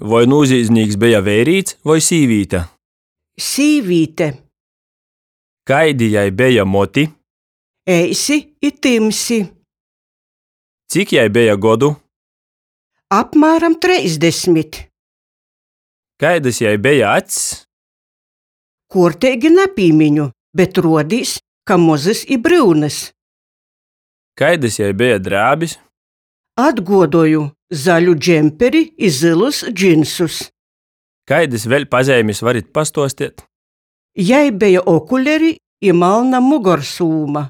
Voi nūzīdznīks beja veirīts voi sīvīte? Sīvīte. Kaidi jai beja moti? Eisi i tymsi. Cik jai beja godu? Apmāram 30. Kaidys jai beja acs? Kuorteigi napīmiņu, bet ruodīs, ka mozys i bryunys. Kaidys jai beja drēbis? Atguodoju zaļu džemperi i zylus džinsus. Kaidys vēļ pazeimis varit pastuosteit? Jai beja okuleri i malna mugorsūma.